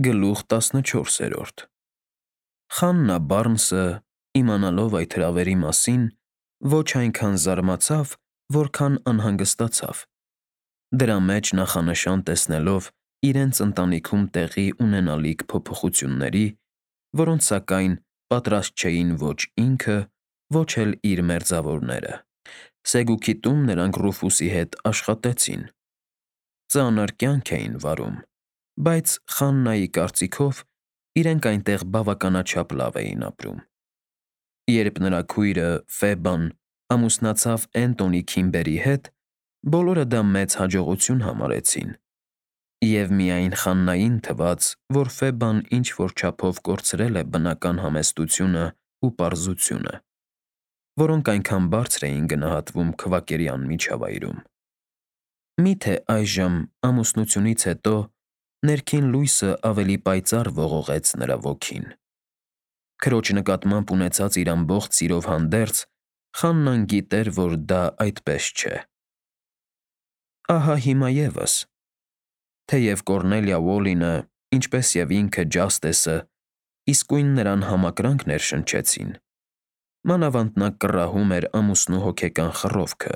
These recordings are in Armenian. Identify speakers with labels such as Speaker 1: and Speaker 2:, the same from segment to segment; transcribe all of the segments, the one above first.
Speaker 1: Գլուխ 14 Խաննա Բարնսը, իմանալով այդ հրավերի մասին, ոչ այնքան զարմացավ, որքան անհանգստացավ։ Դրա մեջ նախանշան տեսնելով իրենց ընտանիքում տեղի ունենալիք փոփոխությունների, որոնց սակայն պատրաստ չէին ոչ ինքը, ոչ էլ իր մերձավորները։ Սեգուքի տուն նրանք Ռուֆուսի հետ աշխատեցին։ Ծանր կյանք էին վարում, բայց Խաննայի կարծիքով իրենք այնտեղ բավականաչափ լավ էին ապրում։ Երբ նրա քույրը Ֆեբան ամուսնացավ Էնտոնի Քիմբերի հետ, բոլորը դա մեծ հաջողություն համարեցին, և միայն Խաննային թվաց, որ Ֆեբան ինչ-որ չափով կորցրել է բնական համեստությունն ու պարզությունը, որոնք այնքան բարձր էին գնահատվում քվակերյան միջավայրում։ Միթե այժմ, ամուսնությունից հետո, ներքին լույսը ավելի պայծառ ողողեց նրա ոգին։ Քրոջ նկատմամբ ունեցած իր ամբողջ սիրով հանդերձ, Խաննան գիտեր, որ դա այդպես չէ։ Ահա հիմա ևս, թեև Կոռնելիա Ուոլինը, ինչպես և ինքը Ջաստեսը, իսկույն նրան համակրանք ներշնչեցին, մանավանդ նա կռահում էր ամուսնու հոգեկան խռովքը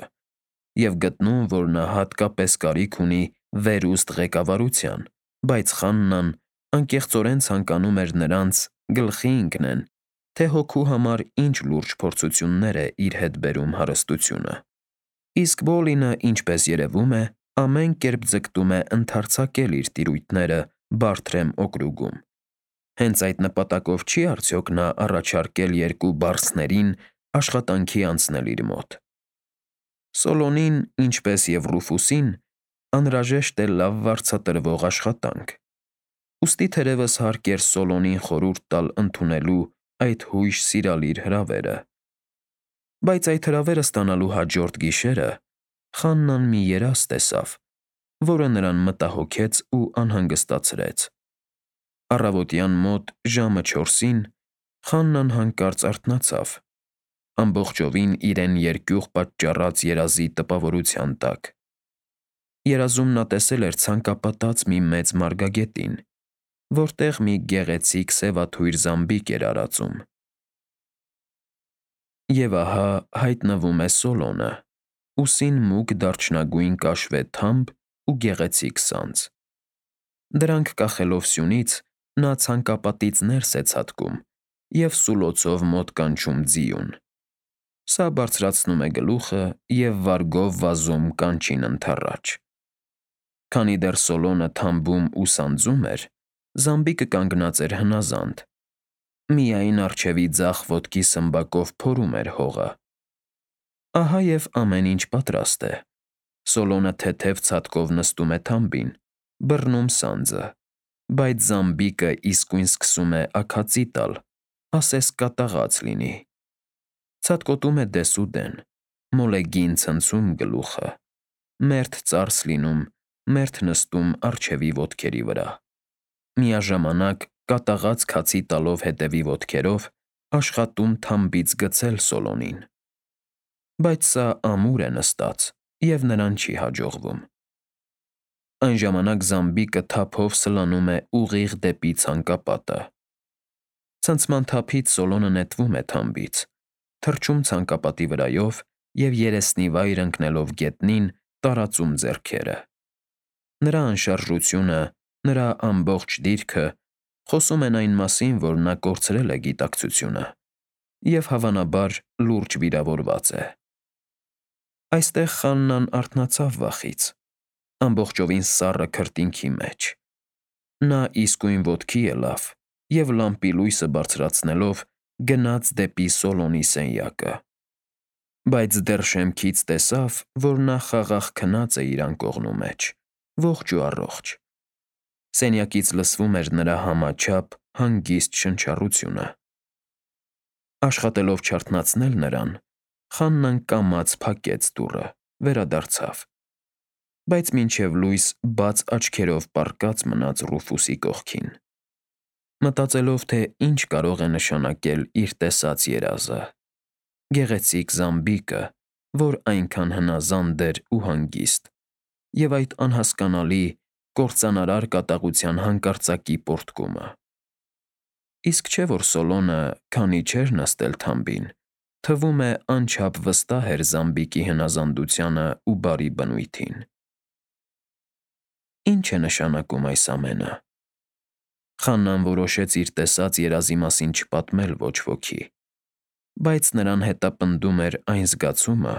Speaker 1: և գտնում, որ նա հատկապես կարիք ունի վերուստ ղեկավարության, բայց Խաննան անկեղծորեն ցանկանում էր նրանց գլխի ընկնեն, թե հոգու համար ինչ լուրջ փորձություններ է իր հետ բերում հարստությունը։ Իսկ Ուոլինը, ինչպես երևում է, ամեն կերպ ձգտում է ընդարձակել իր տիրույթները Բարթրեմ օկրուգում։ Հենց այդ նպատակով չի՞ արդյոք նա առաջարկել երկու բարսներին աշխատանքի անցնել իր մոտ։ Սոլոնին, ինչպես և Ռուֆուսին, անհրաժեշտ է լավ վարձատրվող աշխատանք, ուստի թերևս հարկ էր Սոլոնին խորհուրդ տալ ընդունելու այդ հույժ սիրալիր հրավերը։ Բայց այդ հրավերը ստանալու հաջորդ գիշերը Խաննան մի երազ տեսավ, որը նրան մտահոգեց ու անհանգստացրեց։ Առավոտյան մոտ ժամը 4-ին Խաննան հանկարծ արթնացավ, ամբողջովին իրեն երկյուղ պատճառած երազի տպավորության տակ։ Երազում նա տեսել էր ցանկապատած մի մեծ մարգագետին, որտեղ մի գեղեցիկ սևաթույր զամբիկ էր արածում։ Եվ ահա հայտնվում է Սոլոնը, ուսին մուգ դարչնագույն կաշվե թամբ ու գեղեցիկ սանձ։ Դրանք կախելով սյունից, նա ցանկապատից ներս է ցատկում և սուլոցով մոտ կանչում ձիուն։ Սա բարձրացնում է գլուխը և վարգով վազում կանչին ընդառաջ։ Քանի դեռ Սոլոնը թամբում ու սանձում էր, զամբիկը կանգնած էր հնազանդ, միայն առջևի ձախ ոտքի սմբակով փորում էր հողը։ Ահա և ամեն ինչ պատրաստ է։ Սոլոնը թեթև ցատկով նստում է թամբին, բռնում սանձը, բայց զամբիկը իսկույն սկսում է աքացի տալ, ասես կատաղած լինի։ Ցատկոտում է դեսուդեն, մոլեգին ցնցում գլուխը, մերթ ծարս լինում, մերթ նստում առջևի ոտքերի վրա։ Միաժամանակ կատաղած քացի տալով հետևի ոտքերով, աշխատում թամբից գցել Սոլոնին։ Բայց սա ամուր է նստած և նրան չի հաջողվում։ Այն ժամանակ զամբիկը թափով սլանում է ուղիղ դեպի ցանկապատը։ Ցնցման թափից Սոլոնը նետվում է թամբից, թռչում ցանկապատի վրայով և երեսնի վայր ընկնելով գետնին, տարածում ձեռքերը։ Նրա անշարժությունը, նրա ամբողջ դիրքը խոսում են այն մասին, որ նա կորցրել է գիտակցությունը և, հավանաբար, լուրջ վիրավորված է։ Այստեղ Խաննան արթնացավ վախից, ամբողջովին սառը քրտինքի մեջ։ Նա իսկույն ոտքի ելավ և լամպի լույսը բարձրացնելով գնաց դեպի Սոլոնի սենյակը։ Բայց դեռ շեմքից տեսավ, որ նա խաղաղ քնած է իր անկողնու մեջ, ողջ ու առողջ։ Սենյակից լսվում էր նրա համաչափ, հանգիստ շնչառությունը։ Աշխատելով չարթնացնել նրան, Խաննան կամաց փակեց դուռը, վերադարձավ, բայց մինչև լույս բաց աչքերով պառկած մնաց Ռուֆուսի կողքին, մտածելով, թե ինչ կարող է նշանակել իր տեսած երազը։ Գեղեցիկ զամբիկը, որ այնքան հնազանդ էր ու հանգիստ, և այդ անհասկանալի, կործանարար կատաղության հանկարծակի պոռթկումը։ Իսկ չէ՞ որ Սոլոնը, քանի չէր նստել թամբին, թվում է անչափ վստահ էր Զամբիկի հնազանդությանը ու բարի բնույթին։ Ինչ է նշանակում այս ամենը։ Խաննան որոշեց իր տեսած երազի մասին չպատմել ոչ ոքի, բայց նրան հետապնդում էր այն զգացումը,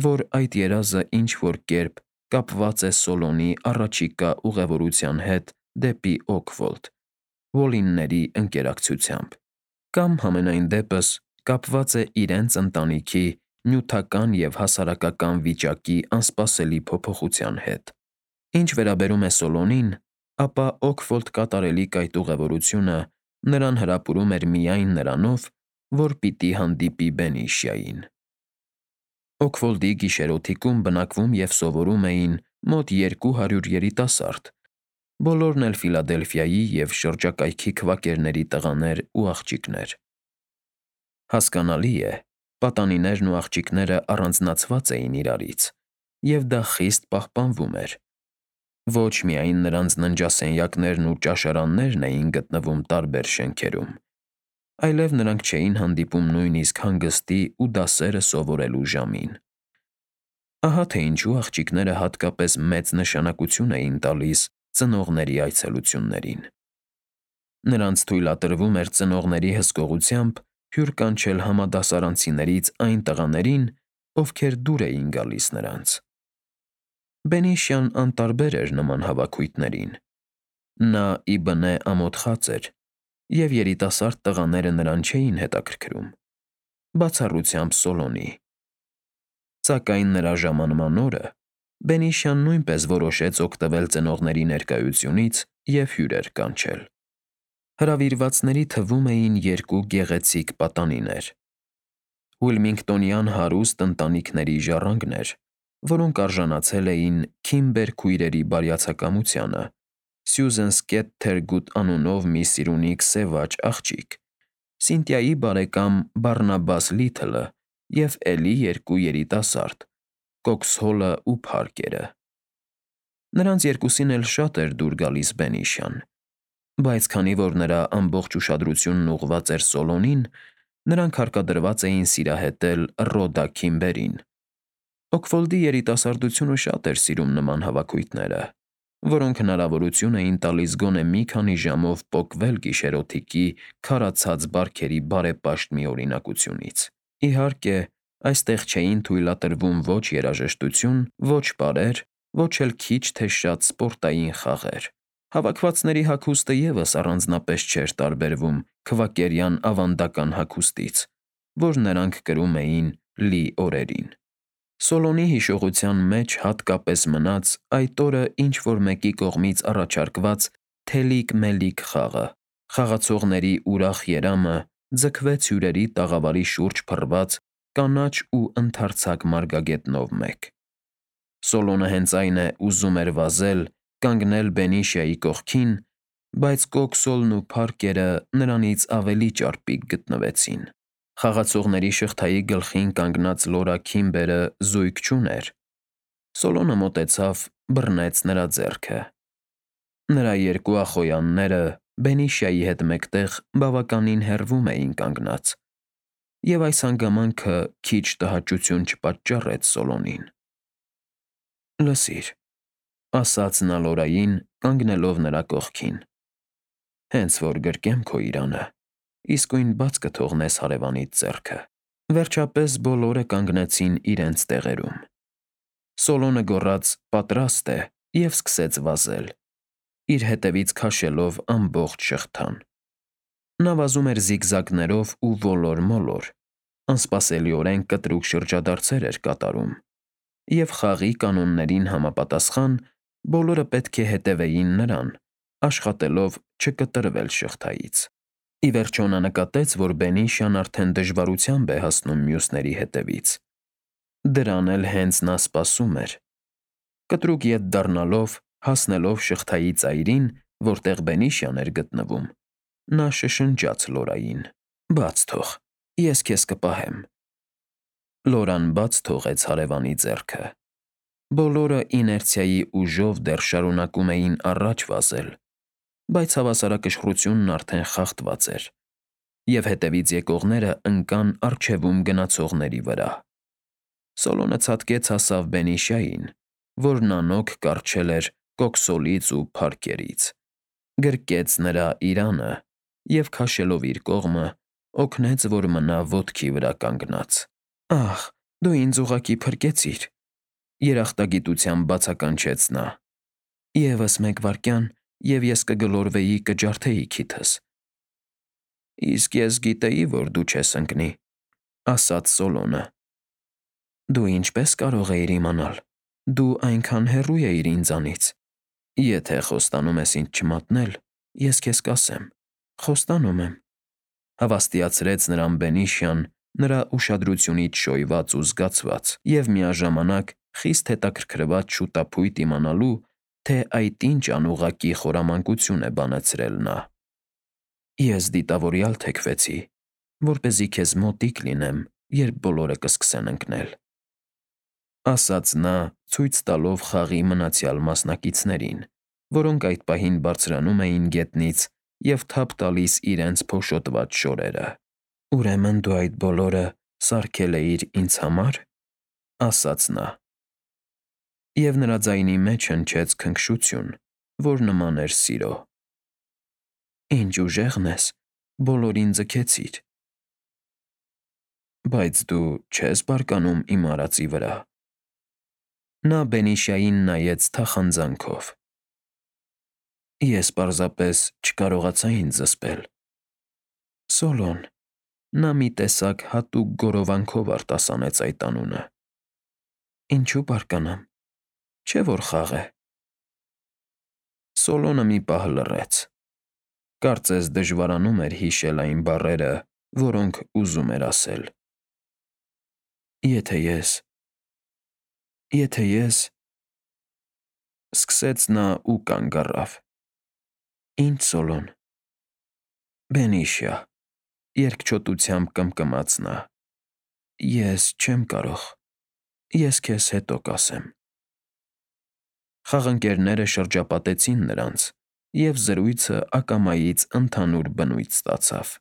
Speaker 1: որ այդ երազը ինչ-որ կերպ կապված է Սոլոնի առաջիկա ուղևորության հետ դեպի Օքվոլդ, Ուոլինների ընկերակցությամբ, կամ համենայն դեպս կապված է իրենց ընտանիքի նյութական և հասարակական վիճակի անսպասելի փոփոխության հետ։ Ինչ վերաբերում է Սոլոնին, ապա Օքվոլդ կատարելիք այդ ուղևորությունը նրան հրապուրում էր միայն նրանով, որ պիտի հանդիպի Բենիշիային։ Օքվոլդի գիշերօթիկում բնակվում և սովորում էին մոտ 200 երիտասարդ, բոլորն էլ Ֆիլադելֆիայի և շրջակայքի քվակերների տղաներ ու աղջիկներ։ Հասկանալի է, պատանիներն ու աղջիկները առանձնացված էին իրարից, և դա խիստ պահպանվում էր։ Ոչ միայն նրանց ննջասենյակներն ու ճաշարաններն էին գտնվում տարբեր շենքերում, այլև նրանք չէին հանդիպում նույնիսկ հանգստի ու դասերը սովորելու ժամին։ Ահա թե ինչու աղջիկները հատկապես մեծ նշանակություն էին տալիս ծնողների այցելություններին։ Նրանց թույլատրվում էր ծնողների հսկողությամբ հյուր կանչել համադասարանցիներից այն տղաներին, ովքեր դուր էին գալիս նրանց։ Բենիշյան անտարբեր էր նման հավաքույթներին։ Նա ի բնե ամոթխած էր, և երիտասարդ տղաները նրան չէին հետաքրքրում, բացառությամբ Սոլոնի։ Սակայն նրա ժամանման օրը Բենիշյան նույնպես որոշեց օգտվել ծնողների ներկայությունից և հյուրեր կանչել։ Հրավիրվածների թվում էին երկու գեղեցիկ պատանիներ։ Ուիլմինգտոնյան հարուստ ընտանիքների ժառանգներ, որոնք արժանացել էին Քիմբեր քույրերի բարյացակամությանը, Սյուզեն Սկեթթերգուտ անունով մի սիրունիկ սևաճ աղջիկ, Սինթիայի բարեկամ Բարնաբաս Լիթլը և էլի երկու երիտասարդ՝ Կոքսհոլը ու Փարքերը։ Նրանց երկուսին էլ շատ էր դուր գալիս Բենիշյան, բայց քանի որ նրա ամբողջ ուշադրությունն ուղղված էր Սոլոնին, նրանք հարկադրված էին սիրահետել Ռոդա Քիմբերին։ Օքվոլդի երիտասարդությունը շատ էր սիրում նման հավաքույթները, որոնք հնարավորություն էին տալիս գոնե մի քանի ժամով պոկվել գիշերօթիկի քարացած բարքերի բարեպաշտ մի օրինակությունից։ Իհարկե, այստեղ չէին թույլատրվում ոչ երաժշտություն, ոչ պարեր, ոչ էլ քիչ թե շատ սպորտային խաղեր։ Հավաքվածների հագուստը ևս առանձնապես չէր տարբերվում քվակերյան ավանդական հագուստից, որ նրանք կրում էին լի օրերին։ Սոլոնի հիշողության մեջ հատկապես մնաց այդ օրը ինչ-որ մեկի կողմից առաջարկված թելիկ-մելիկ խաղը։ Խաղացողների ուրախ երամը ձգվեց հյուրերի տաղավարի շուրջ փռված կանաչ ու ընդարձակ մարգագետնով մեկ։ Սոլոնը հենց այն է ուզում էր վազել, կանգնել Բենիշիայի կողքին, բայց Կոքսոլն ու Փարքերը նրանից ավելի ճարպիկ գտնվեցին։ Խաղացողների շղթայի գլխին կանգնած Լորա Քիմբերը զույգ չուներ։ Սոլոնը մոտեցավ, բռնեց նրա ձեռքը։ Նրա երկու ախոյանները Բենիշիայի հետ մեկտեղ բավականին հեռվում էին կանգնած, և այս հանգամանքը քիչ տհաճություն չպատճառեց Սոլոնին։ «Լսիր», ֊ ասաց նա Լորային, կանգնելով նրա կողքին, «հենց որ գրկեմ քո իրանը, իսկույն բաց կթողնես հարևանիդ ձեռքը»։ Վերջապես բոլորը կանգնեցին իրենց տեղերում։ Սոլոնը գոռաց «պատրաստ է» և սկսեց վազել, իր հետևից քաշելով ամբողջ շղթան։ Նա վազում էր զիգզագներով ու ոլոր-մոլոր, անսպասելիորեն կտրուկ շրջադարձեր էր կատարում, և խաղի կանոններին համապատասխան բոլորը պետք է հետևեին նրան, աշխատելով չկտրվել շղթայից։ Ի վերջո նա նկատեց, որ Բենիշյան արդեն դժվարությամբ է հասնում մյուսների հետևից։ Դրան էլ հենց նա սպասում էր։ Կտրուկ ետ դառնալով, հասնելով շղթայի ծայրին, որտեղ Բենիշյան էր գտնվում, նա շշնջաց Լորային. «Բաց թող, ես քեզ կպահեմ»։ Լորան բաց թողեց հարևանի ձեռքը։ Բոլորը իներցիայի ուժով դեռ շարունակում էին առաջ վազել, բայց հավասարակշռությունն արդեն խախտված էր, և հետևից եկողները ընկան առջևում գնացողների վրա։ Սոլոնը ցատկեց հասավ Բենիշային, որն անօգ կառչել էր կոքսոլից ու փարքերից, գրկեց նրա իրանը և, քաշելով իր կողմը, օգնեց, որ մնա ոտքի վրա կանգնած։ «Ախ, դու ինձ ուղղակի փրկեցիր», երախտագիտությամբ բացականչեց նա։ «Եվս մեկ վայրկյան, և ես կգլորվեի, կջարդեի քիթս»։ «Իսկ ես գիտեի, որ դու չես ընկնի», ասաց Սոլոնը։ «Դու ինչպես կարող էիր իմանալ։ Դու այնքան հեռու էիր ինձանից»։ «Եթե խոստանում ես ինձ չմատնել, ես քեզ կասեմ. խոստանում եմ», հավաստիացրեց նրան Բենիշյան, նրա ուշադրությունից շոյված ու զգացված, և միաժամանակ խիստ հետաքրքրված շուտափույթ իմանալու, թե այդ ինչ անուղղակի խորամանկություն է բանացրել նա։ «Ես դիտավորյալ թեքվեցի, որպեսզի քեզ մոտիկ լինեմ, երբ բոլորը կսկսեն ընկնել», ասաց նա, ցույց տալով խաղի մնացյալ մասնակիցներին, որոնք այդ պահին բարձրանում էին գետնից և թափ տալիս իրենց փոշոտված շորերը։ «Ուրեմն դու այդ բոլորը սարքել էիր ինձ համար», ասաց նա։ Եվ նրա ձայնի մեջ հնչեց քնքշություն, որ նման էր սիրո։ «Ինչ ուժեղն ես, բոլորին ձգեցիր»։ «Բայց դու չես բարկանում իմ արածի վրա»։ Նա Բենիշային նայեց թախանձանքով։ «Ես պարզապես չկարողացա ինձ զսպել»։ Սոլոն, նա մի տեսակ հատուկ գոռովանքով արտասանեց այդ անունը։ «Ինչու բարկանամ, չէ՞ որ խաղ է»։ Սոլոնը մի պահ լռեց։ Կարծես դժվարանում էր հիշել այն բառերը, որոնք ուզում էր ասել։ Եթե ես… Սկսեց նա ու կանգ առավ։ «Ի՞նչ, Սոլոն»։ «Բենիշիա», երկչոտությամբ կմկմաց նա։ «Ես չեմ կարող։ Ես քեզ հետո կասեմ»։ Խաղընկերները շրջապատեցին նրանց, և զրույցը ակամայից ընդհանուր բնույթ ստացավ։